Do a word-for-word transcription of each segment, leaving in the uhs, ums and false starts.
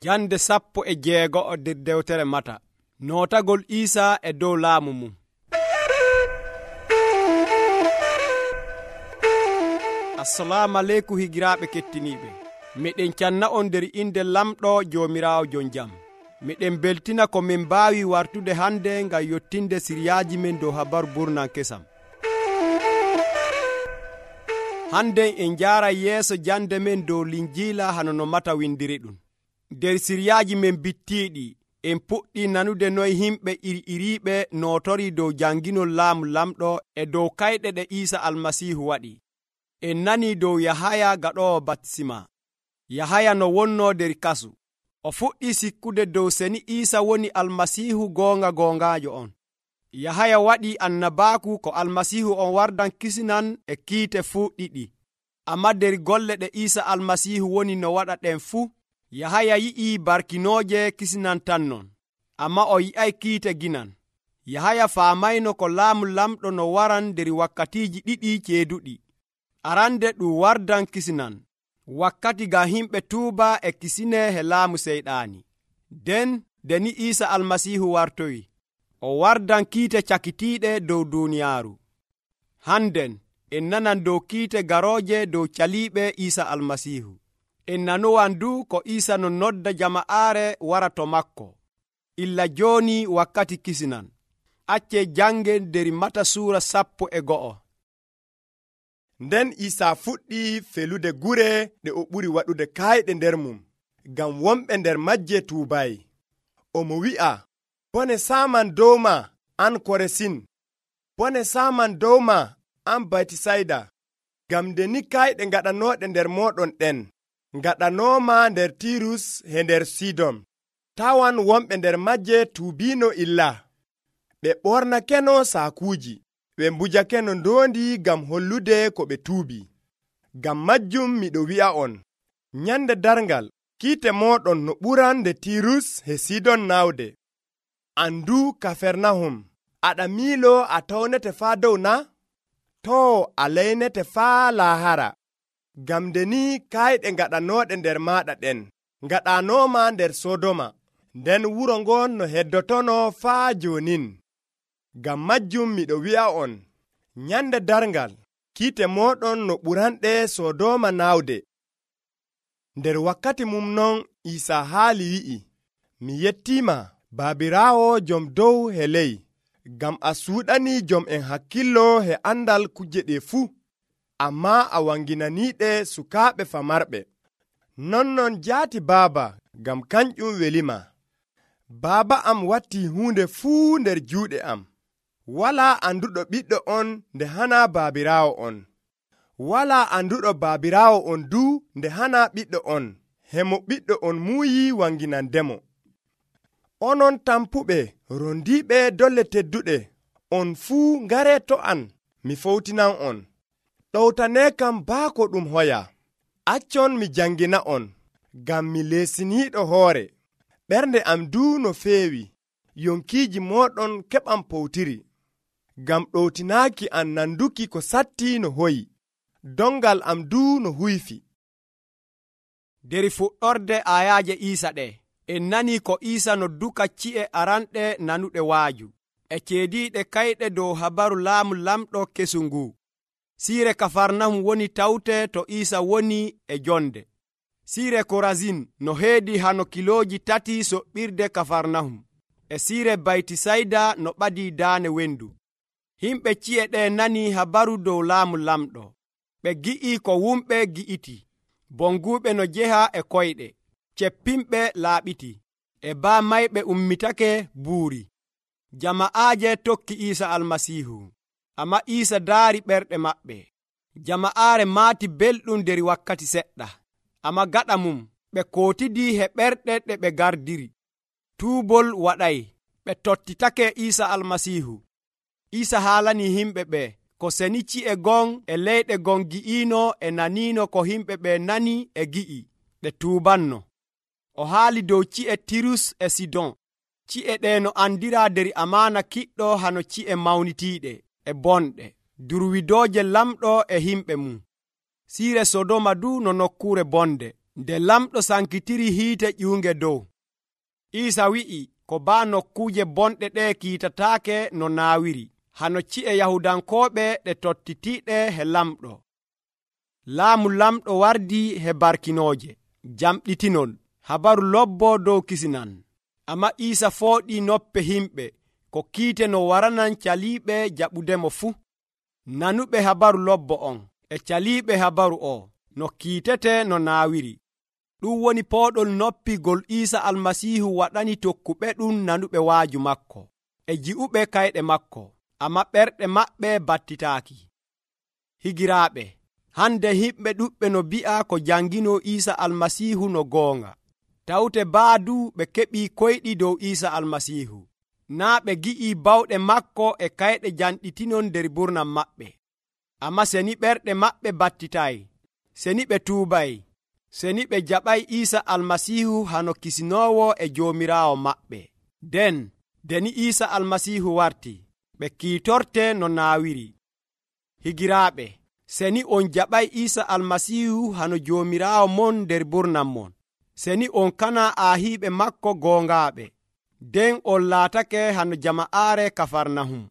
Jande sappo e jeego'o nder dewtere Mata. Nootagol Iisa e dow laamu mum. Assalamu aleykum higiraaɓe kettiniiɓe. Miɗen canna on nder inde lamɗo Joomiraawo jon jam. Miɗen beltina ko min mbaawi wartude hande ngam yottinde siriyaaji men dow habaru burnan kesam. Hande en njaaray yeeso jande men dow Linjiila hano no Mata windiri ɗum. Nder siriyaaji men bittiiɗi en puɗɗi nanude noy himɓe iri-iriiɓe nootori dow janginol laamu lamɗo e dow kayɗe ɗe Iisa Almasiihu waɗi. En nani dow Yahaya gaɗoowo baptisma. Yahaya no wonnoo nder kasu. O fuɗɗi sikkude dow seni Iisa woni Almasiihu goonga goongaajo on. Yahaya waɗi annabaaku ko Almasiihu on wardan kisinan e kiite fuu ɗiɗi. Amma nder golle ɗe Iisa Almasiihu woni no waɗa ɗen fuu, Yahaya yi'ii barkinooje kisinan tan non, amma o yi'ay kiite ginan. Yahaya faamayno ko laamu lamɗo no waran nder wakkatiiji ɗiɗi ceeduɗi. Arande ɗum wardan kisinan, wakkati ngam himɓe tuuba e kisine he laamu seyɗaani. Nden nde ni Iisa Almasiihu wartoyi, o wardan kiite cakitiiɗe dow duuniyaaru. Handen en nanan dow kiite garooje dow caliiɓe Iisa Almasiihu. En nanowan du ko Iisa no nodda jama'aare wara to makko. Illa jooni wakkati kisinan. Acce jangen nder Mata suura sappo e go'o. Nden Iisa fuɗɗi felude gure ɗe o ɓuri waɗude kayɗe nder mum, ngam wonɓe nder majje tuubayi. Omo wi'a, bone saman dowma an Koresin, bone saman dowma an Baytisayda, ngam nde ni kayɗe ngaɗanooɗe nder mooɗon ɗen, ngaɗanooma nder Tirus he nder Sidon. Tawan wonɓe nder majje tuubiino illa. Ɓe ɓornakeno saakuuji, ɓe mbujakeno ndoondi ngam hollude ko ɓe tuubi. Ngam majjum miɗo wi'a on, nyande darngal, kiite mooɗon no ɓuran nde Tirus he Sidon nawde. Andu Kafernahum, aɗa miilo a tawnete faa dow na? Too a leynete faa laahara. Ngam nde ni kayɗe ngaɗanooɗe nder maaɗa ɗen, ngaɗanooma nder Sodoma, nden wuro ngon no heddotono faa jonin. Ngam majjum miɗo wi'a on, nyande darngal, kiite mooɗon no ɓuranɗe Sodoma nawde. Nder wakkati mum non Iisa haali wi'i, mi yettiima Baabiraawo jom dow he ley, ngam a suuɗani jom en hakkillo he andal kuje ɗe fuu, amma a wanginaniiɗe sukaaɓe famarɓe. Nonnon jaati Baaba, ngam kanƴum welima. Baaba am watti huunde fuu nder juuɗe am. Walaa anduɗo ɓiɗɗo on nde hana baabiraawo on. Walaa anduɗo baabiraawo on du nde hana ɓiɗɗo on, hemo ɓiɗɗo on muuyi wanginandemo. Onon tampuɓe rondiiɓe dolle tedduɗe, on fuu ngare to an, mi fowtinan on. Ɗowtanee kam baako ɗum hoya. Accon mi jangina on, ngam mi leesiniiɗo hoore. Ɓernde am du no feewi, yonkiiji mooɗon keɓam powtiri. Ngam ɗowtinaaki an nanduki ko satti no hoyi, dongal am du no huyfi. Nder fuɗɗorde ayaaje Iisa ɗe, en nani ko Iisa no duka ci'e aranɗe nanuɗe waaju, e ceediiɗe kayɗe dow habaru laamu lamɗo kesu ngu. Siire Kafarnahum woni tawte to Iisa woni e jonde. Siire Korazin no heedi hano kilooji tati soɓɓirde Kafarnahum, e siire Baytisayda no ɓadii daane wendu. Himɓe ci'e ɗe nani habaru dow laamu lamɗo. Ɓe gi'i ko wumɓe gi'iti, bonguuɓe no jeha e koyɗe, ceppimɓe laaɓiti, e baa mayɓe ummitake buuri. Jama'aaje tokki Iisa Almasiihu, amma Iisa daari ɓerɗe maɓɓe. Jama'aare maati belɗum nder wakkati seɗɗa, amma gaɗa mum ɓe kootidii he ɓerɗe ɗe ɓe gardiri. Tuubol waɗay, ɓe tottitake Iisa Almasiihu. Iisa haalani himɓe ɓe ko seni ci'e gon e leyɗe gon gi'iino e naniino ko himɓe ɓe nani e gi'i, ɓe tuubanno. O haali dow ci'e Tirus e Sidon. Ci'e ɗe no andiraa nder amaana kiɗɗo hano ci'e mawnitiiɗe e bonɗe, durwidooje lamɗo e himɓe mum. Siire Sodoma du no nokkuure bonde. Nde lamɗo sankitiri hiite ƴuunge dow, Iisa wi'i ko baa nokkuuje bonɗe ɗe kiitataake no naawiri, hano ci'e Yahudankooɓe ɗe tottitiiɗe he lamɗo. Laamu lamɗo wardi he barkinooje, jamɗitinol, habaru lobbo dow kisinan. Amma Iisa fooɗii noppe himɓe ko kiite no waranan caliiɓe jaɓudemo fuu, nanuɓe habaru lobbo on e caliiɓe habaru o no kiitete no naawiri. Ɗum woni pooɗol noppi gol Iisa Almasiihu waɗani tokkuɓe ɗum nanuɓe waaju makko e ji'uɓe kayɗe makko, amma ɓerɗe maɓɓe battitaaki. Higiraaɓe, hande himɓe ɗuɓɓe no bi'a ko jangino Iisa Almasiihu no goonga. Tawte baadu ɓe keɓii koyɗi dow Iisa Almasiihu, naa ɓe gi'ii bawɗe makko e kayɗe janɗitinon nder burnam maɓɓe. Amma seni ɓerɗe maɓɓe battitay, seni ɓe tuubay, seni ɓe jaɓay Iisa Almasiihu hano kisinoowo e Joomiraawo maɓɓe. Nden deni Iisa Almasiihu warti, ɓe kiitorte no naawiri. Higiraaɓe, seni on jaɓay Iisa Almasiihu hano Joomiraawo mon nder burnam mon, seni on kana aahiiɓe makko goongaaɓe, nden on laatake hano jama'aare Kafarnahum,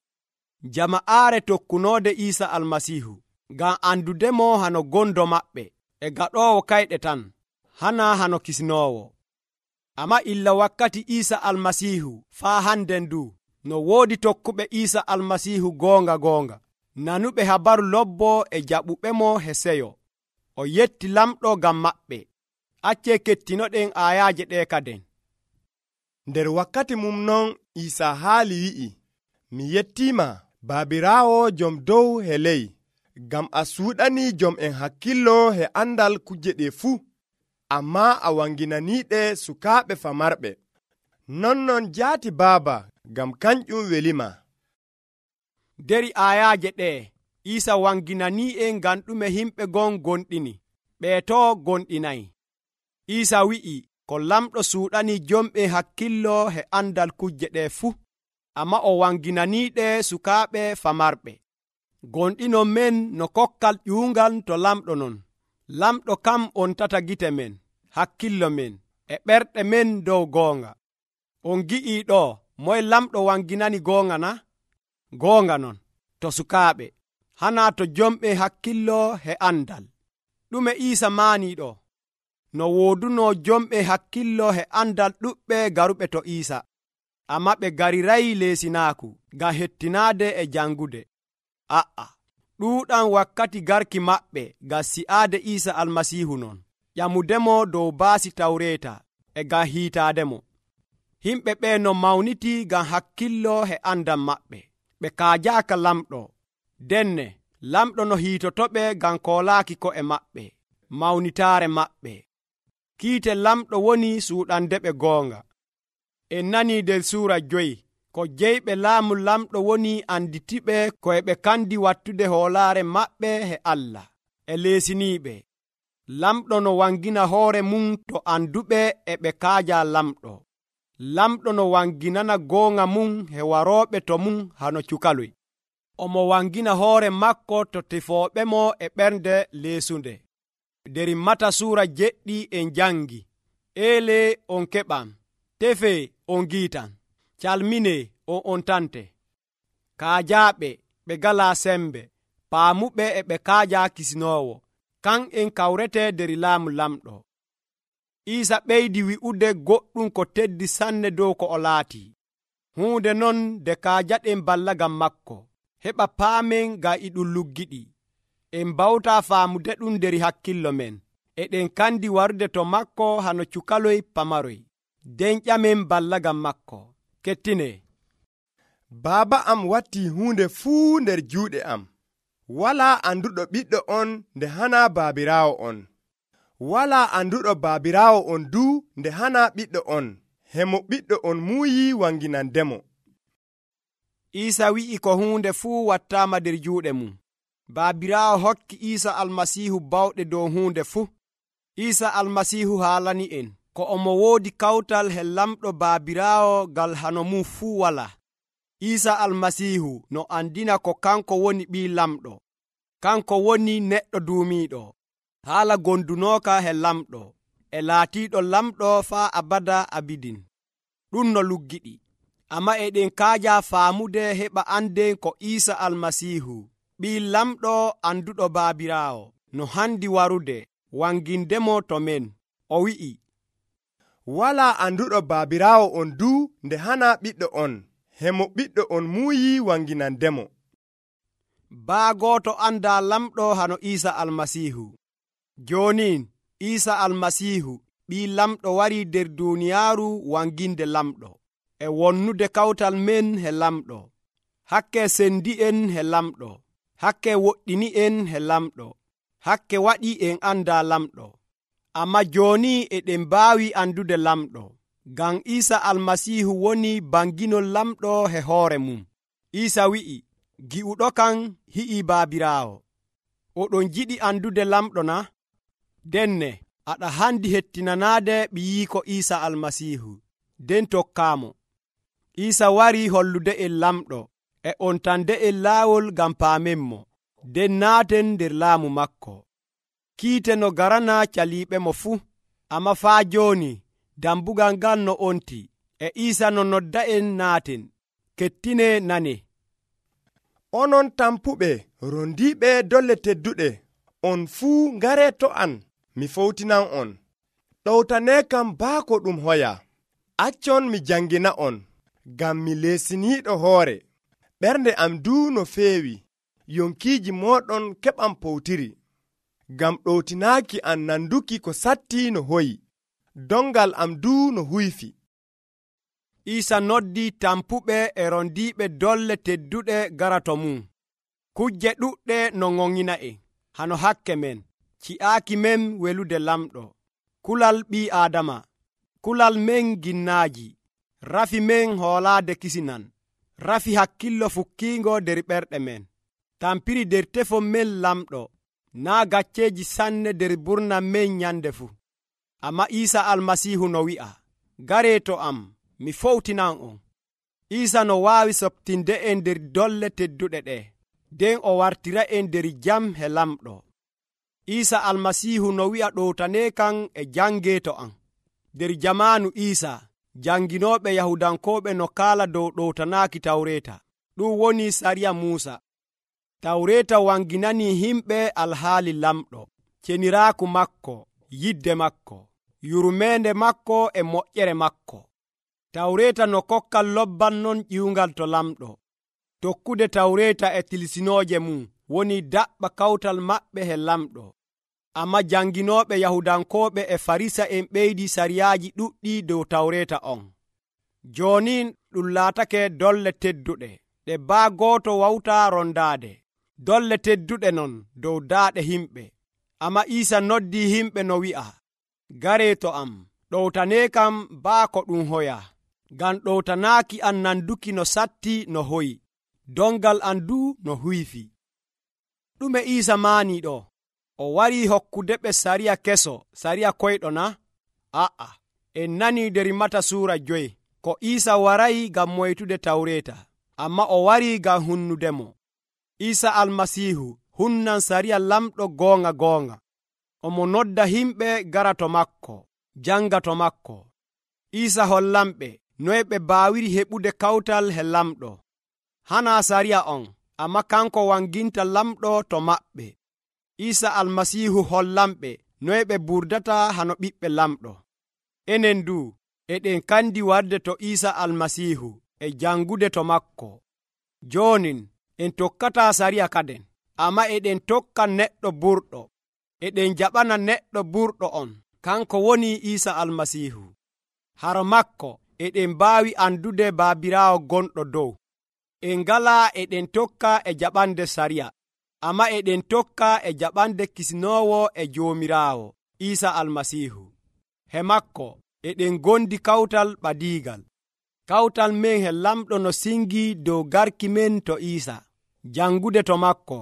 jama'aare tokkunoode Iisa Almasiihu, ngam andudemo hano gondo maɓɓe e gaɗoowo kayɗe tan, hana hano kisinoowo. Amma illa wakkati Iisa Almasiihu faa hannden du, no woodi tokkuɓe Iisa Almasiihu goonga goonga, nanuɓe habaru lobbo e jaɓuɓemo he seyo. O yetti lamɗo ngam maɓɓe. Accee kettinoɗen aayaaje ɗe kaden. Nder wakkati mum non Iisa haali wi'i, mi yettiima Baabiraawo jom dow he ley, ngam a suuɗani jom en hakkillo he andal kuje ɗe fuu, amma a wanginaniiɗe sukaaɓe famarɓe. Nonnon jaati Baaba, ngam kanƴum welima. Deri aayaaje ɗe Iisa wanginanii'en ngam ɗume himɓe gon gonɗini, ɓeeto gonɗinayi. Iisa wi'i ko lamɗo suuɗani jomɓe hakkillo he andal kuje ɗe fuu, amma o wanginaniiɗe sukaaɓe famarɓe. Gonɗinon men no kokkal ƴuungal to lamɗo non. Lamɗo kam on tata gite men, hakkillo men, e ɓerɗe men dow goonga. On gi'ii ɗo moye lamɗo wanginani goonga na? Goonga non, to sukaaɓe, hana to jomɓe hakkillo he andal. Ɗume Iisa maanii ɗo? No wooduno jomɓe hakkillo he andal ɗuɓɓe garuɓe to Iisa, amma ɓe garirayi leesinaaku ngam hettinaade e jangude. A'a, ɗuuɗan wakkati garki maɓɓe ngam si'aade Iisa Almasiihu non, ƴamudemo dow baasi Tawreeta e ngam hiitaademo. Himɓe ɓe no mawniti ngam hakkillo he andal maɓɓe, ɓe kaajaaka lamɗo. Denne lamɗo no hiitotoɓe ngam koolaaki ko'e maɓɓe, mawnitaare maɓɓe. Kiite lamɗo woni suuɗandeɓe goonga. En nani nder suura joyi ko jeyɓe laamu lamɗo woni anditiɓe ko e ɓe kandi wattude hoolaare maɓɓe he Allah e leesiniiɓe. Lamɗo no wangina hoore mum to anduɓe e ɓe kaaja lamɗo. Lamɗo no wanginana goonga mum he warooɓe to mum hano cukaloy. Omo wangina hoore makko to tefooɓemo e ɓernde leesunde. Deri Mata suura jeɗɗi en jangi, eele on keɓam, tefe on giitan, calmine on ontante. Kaajaaɓe ɓe galaa sembe, paamuɓe e ɓe kaaja kisinoowo, kan en kawrete deri laamu lamɗo. Iisa ɓeydi wi'ude goɗɗum ko teddi sanne dow ko o laati. Huunde non de kaajaɗen balla ngam makko, heɓa paamen ngam e ɗum luggiɗi. En bawta faamude ɗum nder hakkillo men, eɗen kandi warude to makko hano cukaloy pamaroy, den ƴamen balla ngam makko. Kettine, Baaba am watti hunde fuu nder juuɗe am. Walaa anduɗo ɓiɗɗo on nde hana baabiraawo on. Walaa anduɗo baabiraawo on du nde hana ɓiɗɗo on, hemo ɓiɗɗo on muuyi wanginandemo. Iisa wi'i ko hunde fuu wattaama nder juuɗe mum. Baabiraawo hokki Iisa Almasiihu bawɗe dow hunde fuu. Iisa Almasiihu haalani en ko omo woodi kawtal he lamɗo baabiraawo ngal hano mum fuu wala. Iisa Almasiihu no andina ko kanko woni ɓii lamɗo, kanko woni neɗɗo duumiiɗo, haala gondunooka he lamɗo. e laatiiɗo lamɗo faa abada abidin. Ɗum no luggiɗi. Amma eɗen kaaja faamude heɓa anden ko Iisa Almasiihu ɓii lamɗo anduɗo Baabiraawo no handi warude wangindemo to men. O wi'i, walaa anduɗo Baabiraawo on du nde hana ɓiɗɗo on, hemo ɓiɗɗo on muuyi wanginandemo. Baa gooto anda lamɗo hano Iisa Almasiihu. Jooni Iisa Almasiihu ɓii lamɗo wari nder duuniyaaru wanginde lamɗo, e wonnude kawtal men he lamɗo, hakke sendi'en he lamɗo, hakke woɗɗini'en he lamɗo, hakke waɗi en anda lamɗo. Amma jooni eɗen mbaawi andude lamɗo, ngam Iisa Almasiihu woni banginol lamɗo he hoore mum. Iisa wi'i, gi'uɗo kan hi'ii Baabiraawo. Oɗon jiɗi andude lamɗo na? Denne aɗa handi hettinanaade ɓiyiiko Iisa Almasiihu, nden tokkaamo. Iisa wari hollude en lamɗo, e on tande en laawol ngam paamenmo, nden naaten nder laamu makko. Kiite no garana caliiɓemo fuu, amma faa jooni dambugal ngal no onti, e Iisa no nodda en naaten. Kettine nane. Onon tampuɓe rondiiɓe dolle tedduɗe, on fuu ngare to an, mi fowtinan on. Ɗowtane kam baako ɗum hoya. Accon mi jangina on, ngam mi leesiniiɗo hoore. Ɓernde am duu no feewi, yonkiiji mooɗon keɓam powtiri. Ngam ɗowtinaaki an nanduki ko satti no hoyi, dongal am duu no huyfi. Iisa noddi tampuɓe e rondiiɓe dolle tedduɗe gara to mum. Kujje ɗuɗɗe no ŋoŋina en, hano hakke men, ci'aaki men welude lamɗo, kulal ɓii Aadama, kulal men ginnaaji, rafi men hoolaade kisinan, rafi hakkillo fukkiingo nder ɓerɗe men, tampiri nder tefon men lamɗo, naa gacceeji sanne nder burnan men nyande fuu. Amma Iisa Almasiihu no wi'a, garee to am, mi fowtinan on. Iisa no waawi soɓtinde en nder dolle tedduɗe ɗe, nden o wartira en nder jam he lamɗo. Iisa Almasiihu no wi'a ɗowtane kan e jangee to am. Nder jamaanu Iisa, janginooɓe Yahudankooɓe no kaala dow ɗowtanaaki Tawreeta, ɗum woni sariya Muusa. Tawreeta wanginani himɓe alhaali lamɗo, ceniraaku makko, yidde makko, yurmeende makko e moƴƴere makko. Tawreeta no kokkal lobban non ƴiwngal to lamɗo. Tokkude Tawreeta e tilsinooje mum woni daɓɓa kawtal maɓɓe he lamɗo. Amma janginooɓe Yahudankooɓe e Farisa'en ɓeydi sariyaaji ɗuɗɗi dow Tawreeta on. Jooni ɗum laatake dolle tedduɗe, ɗe baa gooto wawtaa rondaade. Dolle tedduɗe non dow daaɗe himɓe. Amma Iisa noddi himɓe no wi'a, garee to am, ɗowtane kam baa ko ɗum hoya, ngam ɗowtanaaki an nanduki no satti no hoyi, dongal an duu no huyfi. Ɗume Iisa maanii ɗo? O warii hokkudeɓe sariya keso, sariya koyɗo na? A'a, en nanii nder Mata suura joyi, ko Iisa warayi ngam moytude Tawreeta, amma o warii ngam hunnudemo. Iisa Almasiihu hunnan sariya lamɗo goonga goonga. Omo nodda himɓe gara to makko, janga to makko. Iisa hollanɓe noy ɓe baawiri heɓude kawtal he lamɗo. Hana sariya on, amma kanko wanginta lamɗo to maɓɓe. Iisa Almasiihu hollanɓe noy ɓe burdata hano ɓiɓɓe lamɗo. Enen du eɗen kandi warde to Iisa Almasiihu e jangude to makko. Joonin en tokkata sariya kaden, amma eɗen tokka neɗɗo burɗo. Eɗen jaɓana neɗɗo burɗo on, kanko woni Iisa Almasiihu. Haro makko eɗen mbaawi andude Baabiraawo gonɗo dow. En ngalaa eɗen tokka e jaɓande sariya, amma eɗen tokka e jaɓande kisinoowo e Joomiraawo Iisa Almasiihu. He makko eɗen gondi kawtal ɓadiigal. Kawtal men he lamɗo no singi dow garki men to Iisa, jangude to makko,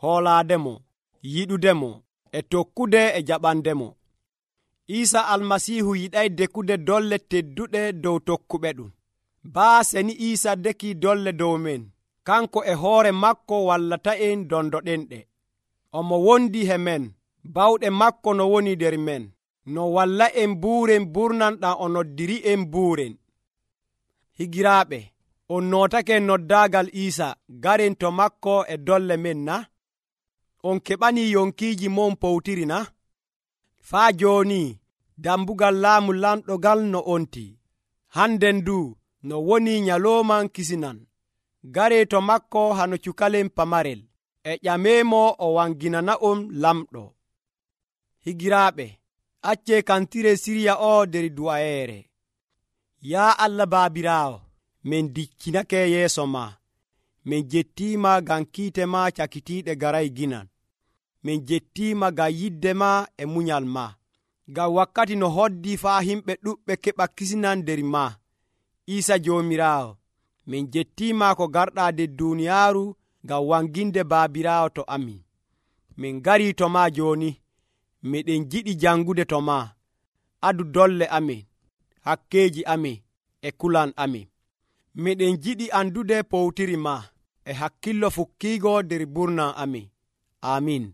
hoolaademo, yiɗudemo, e tokkude e jaɓandemo. Iisa Almasiihu yiɗay dekude dolle tedduɗe dow tokkuɓe ɗum. Baa seni Iisa deki dolle dow men, kanko e hoore makko wallata en dondoɗen ɗe. Omo wondi he men, bawɗe makko no woni nder men. no walla en buuren burnan ɗam o noddiri en buuren. Higiraaɓe, on nootake noddaagal Iisa garen to makko e dolle men na? On keɓanii yonkiiji mon powtiri na? Faa jooni dambugal laamu lamɗogal no onti. Hannden du no woni nyalooman kisinan. Garee to makko hano cukalen pamarel, e ƴameemo o wanginana'on lamɗo. Higiraaɓe, accee kantire sirya o der du'ayeere. Yaa Allah Baabiraawo, min diccinake yeeso ma. Min jettiima ngam kiite ma cakitiiɗe garay ginan. Min jettiima ngam yidde ma e munyal ma. Ngam wakkati no hoddi faa himɓe ɗuɓɓe keɓa kisinan der ma. Iisa Joomiraawo, min jettiima ko garɗaa der duuniyaaru ngam wanginde Baabiraawo to amin. Min ngarii to ma jooni. Miɗen jiɗi jangude to ma. Adu dolle amin, hakkeeji amin e kulan amin. Miɗen jiɗi andude powtiri ma e hakkillo fukkiigo der burnan amin. Amin.